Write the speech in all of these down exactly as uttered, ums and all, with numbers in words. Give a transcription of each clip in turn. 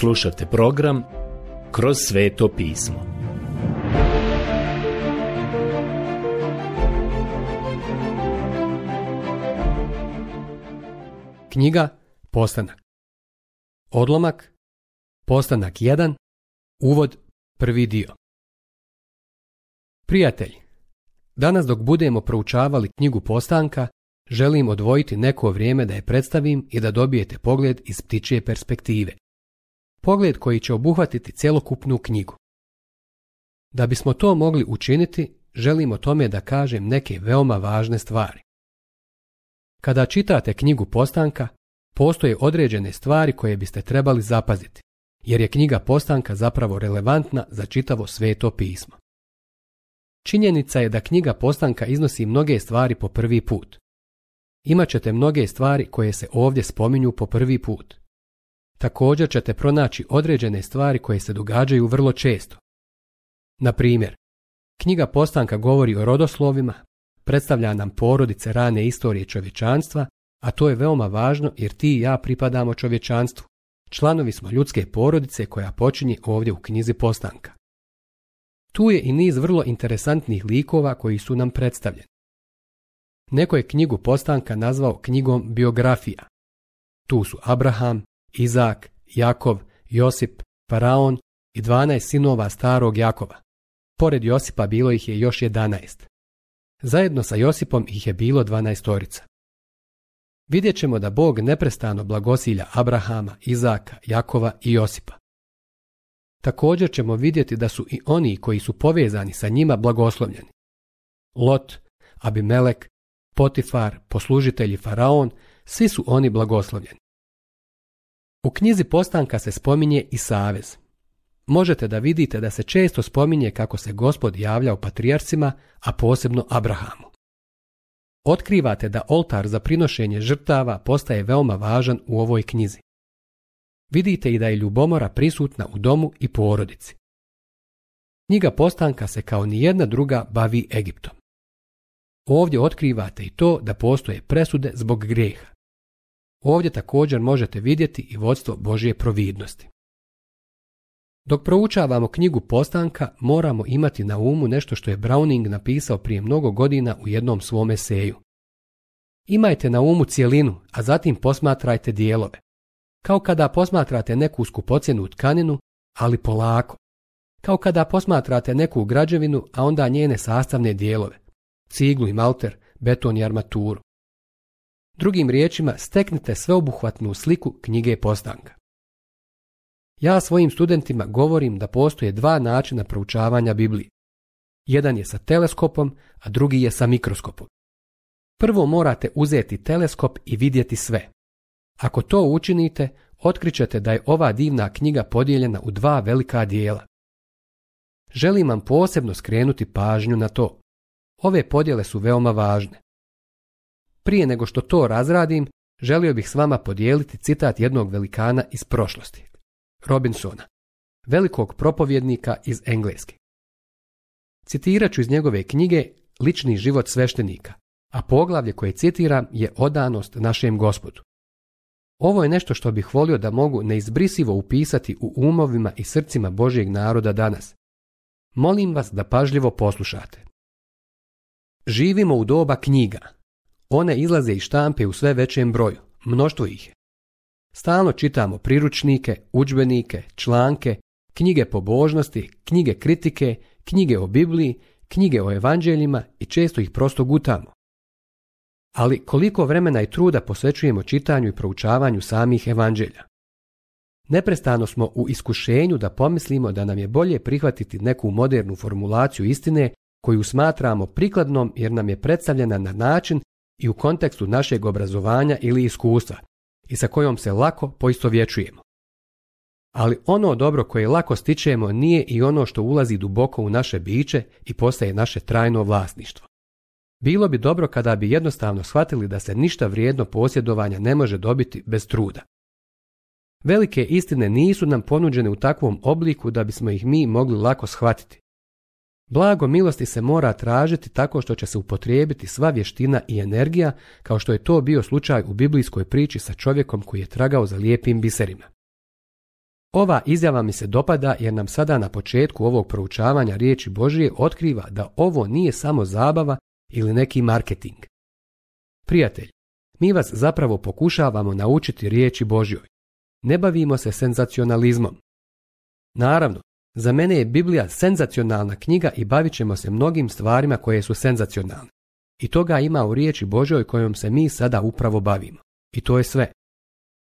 Slušate program Kroz sveto pismo. Knjiga Postanak. Odlomak Postanak jedan. Uvod, prvi dio. Prijatelji, danas dok budemo proučavali knjigu Postanka, želim odvojiti neko vrijeme da je predstavim i da dobijete pogled iz ptičje perspektive. Pogled koji će obuhvatiti cjelokupnu knjigu. Da bismo to mogli učiniti, želim o tome da kažem neke veoma važne stvari. Kada čitate knjigu Postanka, postoje određene stvari koje biste trebali zapaziti, jer je knjiga Postanka zapravo relevantna za čitavo sveto pismo. Činjenica je da knjiga Postanka iznosi mnoge stvari po prvi put. Imaćete mnoge stvari koje se ovdje spominju po prvi put. Također ćete pronaći određene stvari koje se događaju vrlo često. Na primjer, knjiga Postanka govori o rodoslovima, predstavlja nam porodice rane istorije čovječanstva, a to je veoma važno jer ti i ja pripadamo čovječanstvu. Članovi smo ljudske porodice koja počinje ovdje u knjizi Postanka. Tu je i niz vrlo interesantnih likova koji su nam predstavljeni. Neko je knjigu Postanka nazvao knjigom biografija. Tu su Abraham, Izak, Jakov, Josip, Faraon i dvanaest sinova starog Jakova. Pored Josipa bilo ih je još jedanaest. Zajedno sa Josipom ih je bilo dvanaestorica. Vidjet ćemo da Bog neprestano blagosilja Abrahama, Izaka, Jakova i Josipa. Također ćemo vidjeti da su i oni koji su povezani sa njima blagoslovljeni. Lot, Abimelek, Potifar, poslužitelji Faraon, svi su oni blagoslovljeni. U knjizi Postanka se spominje i savez. Možete da vidite da se često spominje kako se Gospod javljao patrijarcima, a posebno Abrahamu. Otkrivate da oltar za prinošenje žrtava postaje veoma važan u ovoj knjizi. Vidite i da je ljubomora prisutna u domu i porodici. Knjiga Postanka se kao nijedna druga bavi Egiptom. Ovdje otkrivate i to da postoje presude zbog grijeha. Ovdje također možete vidjeti i vodstvo Božje providnosti. Dok proučavamo knjigu Postanka, moramo imati na umu nešto što je Browning napisao prije mnogo godina u jednom svom eseju. Imajte na umu cjelinu, a zatim posmatrajte dijelove. Kao kada posmatrate neku skupocjenu tkaninu, ali polako. Kao kada posmatrate neku građevinu, a onda njene sastavne dijelove. Ciglu i malter, beton i armaturu. Drugim riječima, steknite sveobuhvatnu sliku knjige Postanka. Ja svojim studentima govorim da postoje dva načina proučavanja Biblije. Jedan je sa teleskopom, a drugi je sa mikroskopom. Prvo morate uzeti teleskop i vidjeti sve. Ako to učinite, otkrićete da je ova divna knjiga podijeljena u dva velika dijela. Želim vam posebno skrenuti pažnju na to. Ove podjele su veoma važne. Prije nego što to razradim, želio bih s vama podijeliti citat jednog velikana iz prošlosti, Robinsona, velikog propovjednika iz Engleske. Citirat ću iz njegove knjige Lični život sveštenika, a poglavlje koje citiram je Odanost našem Gospodu. Ovo je nešto što bih volio da mogu neizbrisivo upisati u umovima i srcima Božjeg naroda danas. Molim vas da pažljivo poslušate. Živimo u doba knjiga. One izlaze iz štampe u sve većem broju, mnoštvo ih je. Stalno čitamo priručnike, udžbenike, članke, knjige pobožnosti, knjige kritike, knjige o Bibliji, knjige o evanđeljima i često ih prosto gutamo. Ali koliko vremena i truda posvećujemo čitanju i proučavanju samih evanđelja? Neprestano smo u iskušenju da pomislimo da nam je bolje prihvatiti neku modernu formulaciju istine koju smatramo prikladnom jer nam je predstavljena na način i u kontekstu našeg obrazovanja ili iskustva i sa kojom se lako poistovjećujemo. Ali ono dobro koje lako stičemo nije i ono što ulazi duboko u naše biće i postaje naše trajno vlasništvo. Bilo bi dobro kada bi jednostavno shvatili da se ništa vrijedno posjedovanja ne može dobiti bez truda. Velike istine nisu nam ponuđene u takvom obliku da bismo ih mi mogli lako shvatiti. Blago milosti se mora tražiti tako što će se upotrijebiti sva vještina i energija, kao što je to bio slučaj u biblijskoj priči sa čovjekom koji je tragao za lijepim biserima. Ova izjava mi se dopada jer nam sada na početku ovog proučavanja riječi Božije otkriva da ovo nije samo zabava ili neki marketing. Prijatelj, mi vas zapravo pokušavamo naučiti riječi Božjoj. Ne bavimo se senzacionalizmom. Naravno, za mene je Biblija senzacionalna knjiga i bavit ćemo se mnogim stvarima koje su senzacionalne. I toga ima u riječi Božjoj kojom se mi sada upravo bavimo. I to je sve.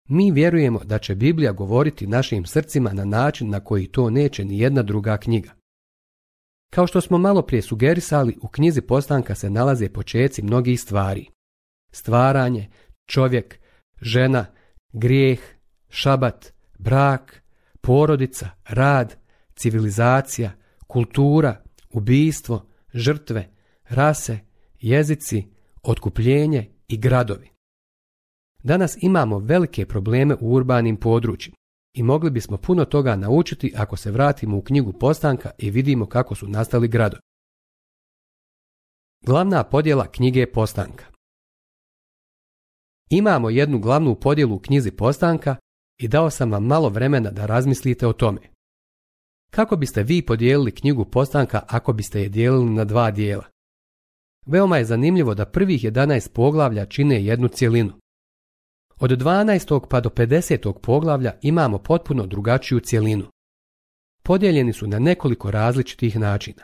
Mi vjerujemo da će Biblija govoriti našim srcima na način na koji to neće ni jedna druga knjiga. Kao što smo malo prije sugerisali, u knjizi Postanka se nalaze počeci mnogih stvari. Stvaranje, čovjek, žena, grijeh, šabat, brak, porodica, rad, civilizacija, kultura, ubijstvo, žrtve, rase, jezici, otkupljenje i gradovi. Danas imamo velike probleme u urbanim područjima i mogli bismo puno toga naučiti ako se vratimo u knjigu Postanka i vidimo kako su nastali gradovi. Glavna podjela knjige Postanka. Imamo jednu glavnu podjelu u knjizi Postanka i dao sam vam malo vremena da razmislite o tome. Kako biste vi podijelili knjigu Postanka ako biste je dijelili na dva dijela? Veoma je zanimljivo da prvih jedanaest poglavlja čine jednu cjelinu. Od dvanaestog pa do pedesetog poglavlja imamo potpuno drugačiju cjelinu. Podijeljeni su na nekoliko različitih načina.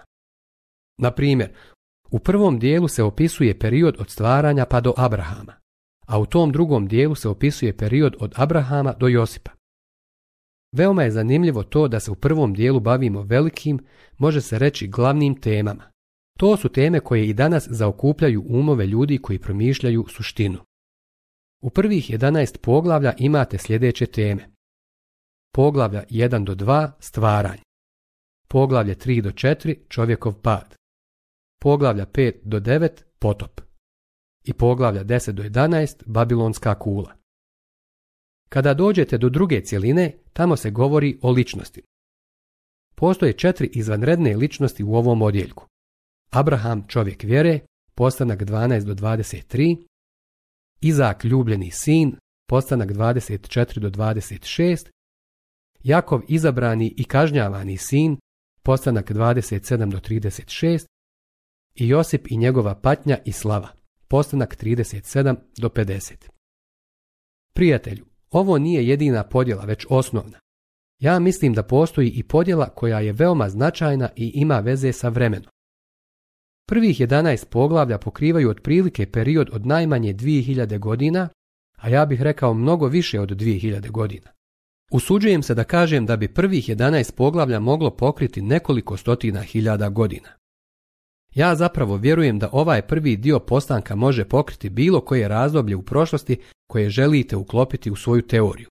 Na primjer, u prvom dijelu se opisuje period od stvaranja pa do Abrahama, a u tom drugom dijelu se opisuje period od Abrahama do Josipa. Veoma je zanimljivo to da se u prvom dijelu bavimo velikim, može se reći glavnim temama. To su teme koje i danas zaokupljaju umove ljudi koji promišljaju suštinu. U prvih jedanaest poglavlja imate sljedeće teme. Poglavlja jedan do dva stvaranje. Poglavlje tri do četiri čovjekov pad. Poglavlja pet do devet potop. I poglavlja deset do jedanaest babilonska kula. Kada dođete do druge cjeline, tamo se govori o ličnosti. Postoje četiri izvanredne ličnosti u ovom odjeljku. Abraham, čovjek vjere, postanak dvanaest do dvadeset tri, Izak, ljubljeni sin, postanak dvadeset četiri do dvadeset šest, Jakov, izabrani i kažnjavani sin, postanak dvadeset sedam do trideset šest i Josip i njegova patnja i slava, postanak trideset sedam do pedeset. Prijatelju, ovo nije jedina podjela, već osnovna. Ja mislim da postoji i podjela koja je veoma značajna i ima veze sa vremenom. Prvih jedanaest poglavlja pokrivaju otprilike period od najmanje dvije hiljade godina, a ja bih rekao mnogo više od dvije hiljade godina. Usuđujem se da kažem da bi prvih jedanaest poglavlja moglo pokriti nekoliko stotina hiljada godina. Ja zapravo vjerujem da ovaj prvi dio Postanka može pokriti bilo koje razdoblje u prošlosti koje želite uklopiti u svoju teoriju,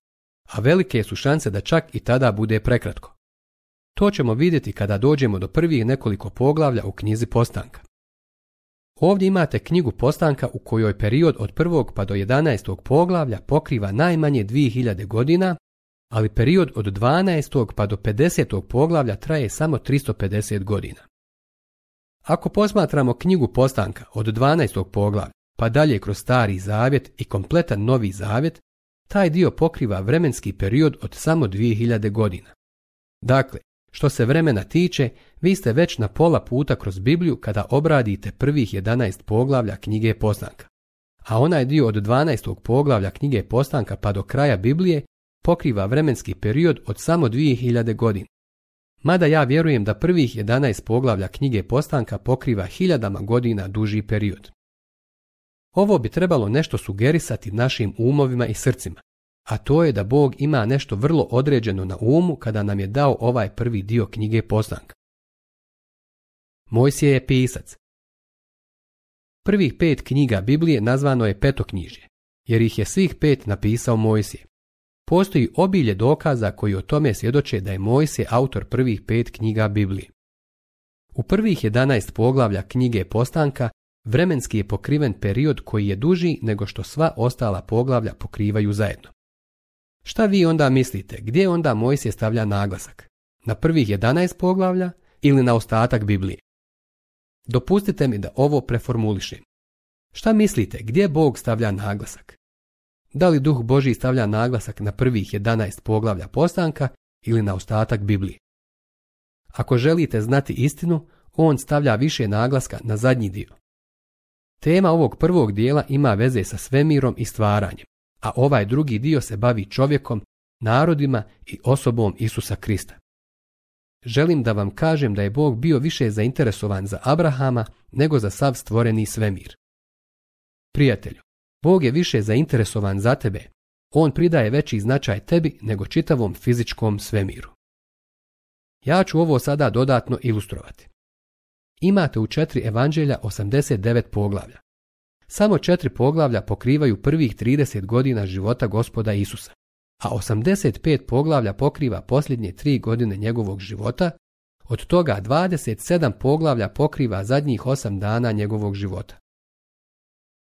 a velike su šanse da čak i tada bude prekratko. To ćemo vidjeti kada dođemo do prvih nekoliko poglavlja u knjizi Postanka. Ovdje imate knjigu Postanka u kojoj period od prvog pa do jedanaestog poglavlja pokriva najmanje dvije hiljade godina, ali period od dvanaestog pa do pedesetog poglavlja traje samo tristo pedeset godina. Ako posmatramo knjigu Postanka od dvanaestog poglavlja pa dalje kroz Stari zavjet i kompletan Novi zavjet, taj dio pokriva vremenski period od samo dvije hiljade godina. Dakle, što se vremena tiče, vi ste već na pola puta kroz Bibliju kada obradite prvih jedanaest poglavlja knjige Postanka. A onaj dio od dvanaestog poglavlja knjige Postanka pa do kraja Biblije pokriva vremenski period od samo dvije hiljade godina. Mada ja vjerujem da prvih jedanaest poglavlja knjige Postanka pokriva hiljadama godina duži period. Ovo bi trebalo nešto sugerisati našim umovima i srcima, a to je da Bog ima nešto vrlo određeno na umu kada nam je dao ovaj prvi dio knjige Postanka. Mojsije je pisac. Prvih pet knjiga Biblije nazvano je petoknjižje, jer ih je svih pet napisao Mojsije. Postoji obilje dokaza koji o tome svjedoče da je Mojsije autor prvih pet knjiga Biblije. U prvih jedanaest poglavlja knjige Postanka vremenski je pokriven period koji je duži nego što sva ostala poglavlja pokrivaju zajedno. Šta vi onda mislite, gdje onda Mojsije stavlja naglasak? Na prvih jedanaest poglavlja ili na ostatak Biblije? Dopustite mi da ovo preformulišem. Šta mislite, gdje Bog stavlja naglasak? Da li Duh Božji stavlja naglasak na prvih jedanaest poglavlja Postanka ili na ostatak Biblije. Ako želite znati istinu, on stavlja više naglaska na zadnji dio. Tema ovog prvog dijela ima veze sa svemirom i stvaranjem, a ovaj drugi dio se bavi čovjekom, narodima i osobom Isusa Krista. Želim da vam kažem da je Bog bio više zainteresovan za Abrahama nego za sav stvoreni svemir. Prijatelju, Bog je više zainteresovan za tebe. On pridaje veći značaj tebi nego čitavom fizičkom svemiru. Ja ću ovo sada dodatno ilustrovati. Imate u četiri evanđelja osamdeset devet poglavlja. Samo četiri poglavlja pokrivaju prvih trideset godina života Gospoda Isusa, a osamdeset pet poglavlja pokriva posljednje tri godine njegovog života, od toga dvadeset sedam poglavlja pokriva zadnjih osam dana njegovog života.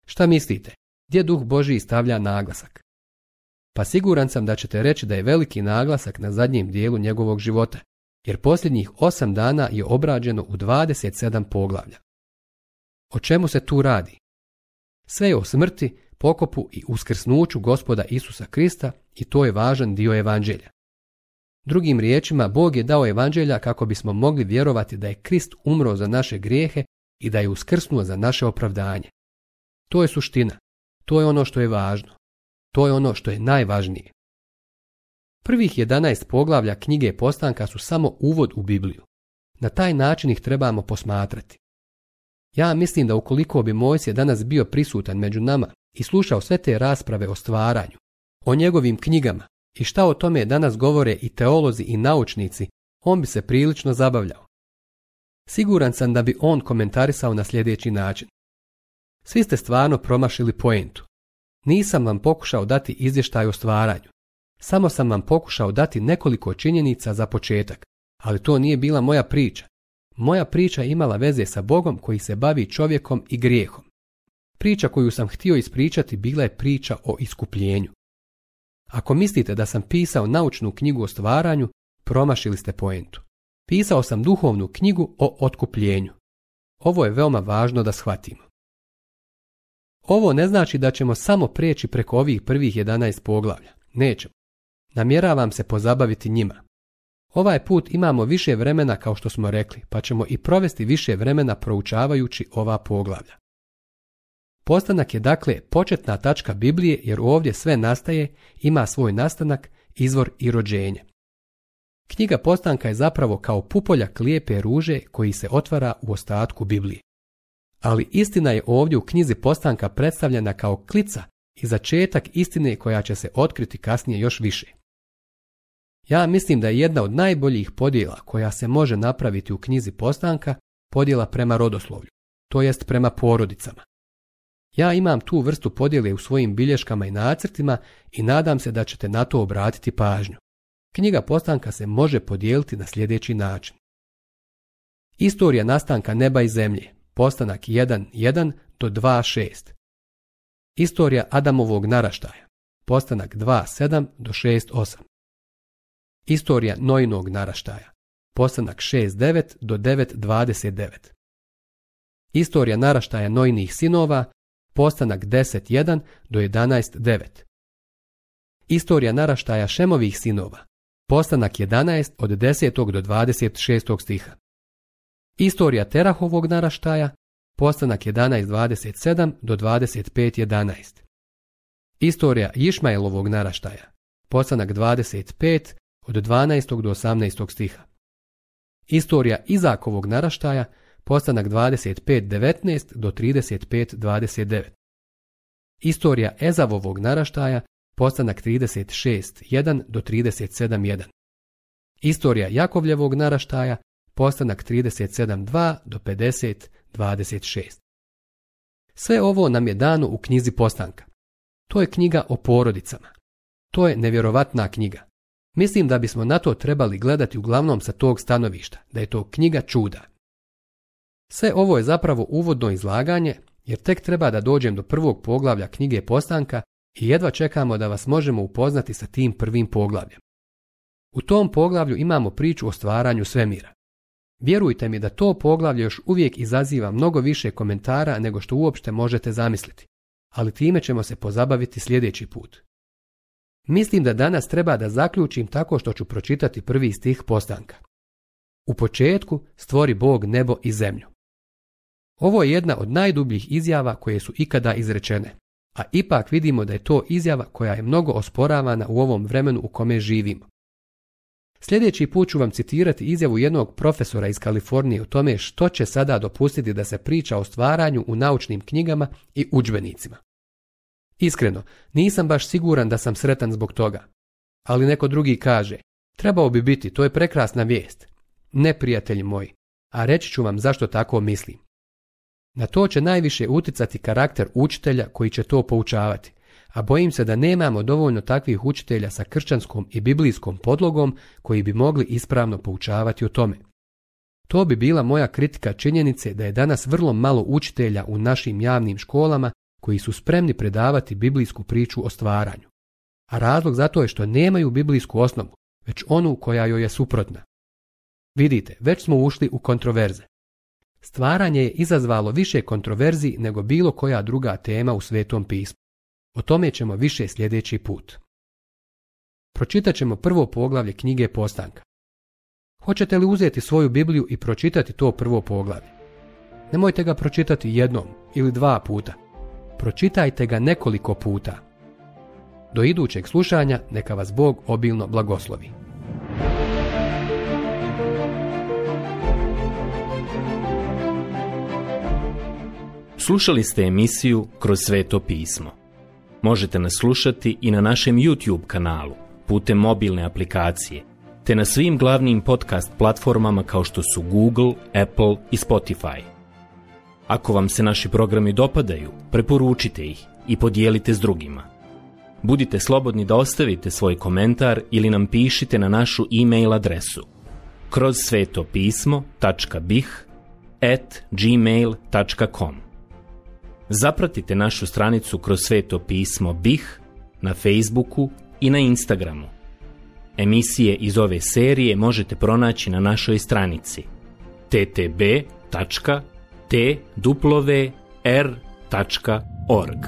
Šta mislite, gdje Duh Božji stavlja naglasak? Pa siguran sam da ćete reći da je veliki naglasak na zadnjem dijelu njegovog života, jer posljednjih osam dana je obrađeno u dvadeset sedam poglavlja. O čemu se tu radi? Sve je o smrti, pokopu i uskrsnuću Gospoda Isusa Krista i to je važan dio evanđelja. Drugim riječima, Bog je dao evanđelja kako bismo mogli vjerovati da je Krist umro za naše grijehe i da je uskrsnuo za naše opravdanje. To je suština. To je ono što je važno. To je ono što je najvažnije. Prvih jedanaest poglavlja knjige Postanka su samo uvod u Bibliju. Na taj način ih trebamo posmatrati. Ja mislim da ukoliko bi Mojsije danas bio prisutan među nama i slušao sve te rasprave o stvaranju, o njegovim knjigama i šta o tome danas govore i teolozi i naučnici, on bi se prilično zabavljao. Siguran sam da bi on komentarisao na sljedeći način. Svi ste stvarno promašili poentu. Nisam vam pokušao dati izvještaj o stvaranju. Samo sam vam pokušao dati nekoliko činjenica za početak, ali to nije bila moja priča. Moja priča je imala veze sa Bogom koji se bavi čovjekom i grijehom. Priča koju sam htio ispričati bila je priča o iskupljenju. Ako mislite da sam pisao naučnu knjigu o stvaranju, promašili ste poentu. Pisao sam duhovnu knjigu o otkupljenju. Ovo je veoma važno da shvatimo. Ovo ne znači da ćemo samo preći preko ovih prvih jedanaest poglavlja. Nećemo. Namjeravam se pozabaviti njima. Ovaj put imamo više vremena kao što smo rekli, pa ćemo i provesti više vremena proučavajući ova poglavlja. Postanak je dakle početna tačka Biblije jer ovdje sve nastaje, ima svoj nastanak, izvor i rođenje. Knjiga Postanka je zapravo kao pupoljak lijepe ruže koji se otvara u ostatku Biblije. Ali istina je ovdje u knjizi Postanka predstavljena kao klica i začetak istine koja će se otkriti kasnije još više. Ja mislim da je jedna od najboljih podjela koja se može napraviti u knjizi Postanka podjela prema rodoslovlju, to jest prema porodicama. Ja imam tu vrstu podjele u svojim bilješkama i nacrtima i nadam se da ćete na to obratiti pažnju. Knjiga Postanka se može podijeliti na sljedeći način. Istorija nastanka neba i zemlje, Postanak jedan jedan do dva šest. Istorija Adamovog naraštaja, Postanak dva sedam do šest osam. Istorija Nojinog naraštaja, Postanak šest devet do devet dvadeset devet. Istorija naraštaja Nojinih sinova, Postanak deset jedan do jedanaest devet. Istorija naraštaja Šemovih sinova, Postanak jedanaest od desetog do dvadeset šestog stiha. Istorija Terahovog naraštaja, Postanak jedanaest dvadeset sedam do dvadeset pet jedanaest. Istorija Išmaelovog naraštaja, Postanak dvadeset pet od dvanaestog do osamnaestog stiha. Istorija Izakovog naraštaja, Postanak dvadeset pet devetnaest do trideset pet dvadeset devet. Istorija Ezavovog naraštaja, Postanak trideset šest jedan do trideset sedam jedan. Istorija Jakovljevog naraštaja, Postanak trideset sedam dva do pedeset dvadeset šest. Sve ovo nam je dano u knjizi Postanka. To je knjiga o porodicama. To je nevjerovatna knjiga. Mislim da bismo na to trebali gledati uglavnom sa tog stanovišta, da je to knjiga čuda. Sve ovo je zapravo uvodno izlaganje, jer tek treba da dođem do prvog poglavlja knjige Postanka i jedva čekamo da vas možemo upoznati sa tim prvim poglavljem. U tom poglavlju imamo priču o stvaranju svemira. Vjerujte mi da to poglavlje još uvijek izaziva mnogo više komentara nego što uopšte možete zamisliti, ali time ćemo se pozabaviti sljedeći put. Mislim da danas treba da zaključim tako što ću pročitati prvi stih Postanka. U početku stvori Bog nebo i zemlju. Ovo je jedna od najdubljih izjava koje su ikada izrečene, a ipak vidimo da je to izjava koja je mnogo osporavana u ovom vremenu u kome živimo. Sljedeći put ću vam citirati izjavu jednog profesora iz Kalifornije o tome što će sada dopustiti da se priča o stvaranju u naučnim knjigama i udžbenicima. Iskreno, nisam baš siguran da sam sretan zbog toga, ali neko drugi kaže, trebao bi biti, to je prekrasna vijest. Ne, prijatelji moji, a reći ću vam zašto tako mislim. Na to će najviše uticati karakter učitelja koji će to poučavati, a bojim se da nemamo dovoljno takvih učitelja sa kršćanskom i biblijskom podlogom koji bi mogli ispravno poučavati o tome. To bi bila moja kritika činjenice da je danas vrlo malo učitelja u našim javnim školama koji su spremni predavati biblijsku priču o stvaranju. A razlog za to je što nemaju biblijsku osnovu, već onu koja joj je suprotna. Vidite, već smo ušli u kontroverze. Stvaranje je izazvalo više kontroverzi nego bilo koja druga tema u Svetom pismu. O tome ćemo više sljedeći put. Pročitat ćemo prvo poglavlje knjige Postanka. Hoćete li uzeti svoju Bibliju i pročitati to prvo poglavlje? Nemojte ga pročitati jednom ili dva puta. Pročitajte ga nekoliko puta. Do idućeg slušanja neka vas Bog obilno blagoslovi. Slušali ste emisiju Kroz Sveto pismo. Možete nas slušati i na našem YouTube kanalu, putem mobilne aplikacije, te na svim glavnim podcast platformama kao što su Google, Apple i Spotify. Ako vam se naši programi dopadaju, preporučite ih i podijelite s drugima. Budite slobodni da ostavite svoj komentar ili nam pišite na našu e-mail adresu kroz svetopismo tačka bih at gmail tačka com. Zapratite našu stranicu Kroz Sveto pismo Bih na Facebooku i na Instagramu. Emisije iz ove serije možete pronaći na našoj stranici t t b tačka t w r tačka org.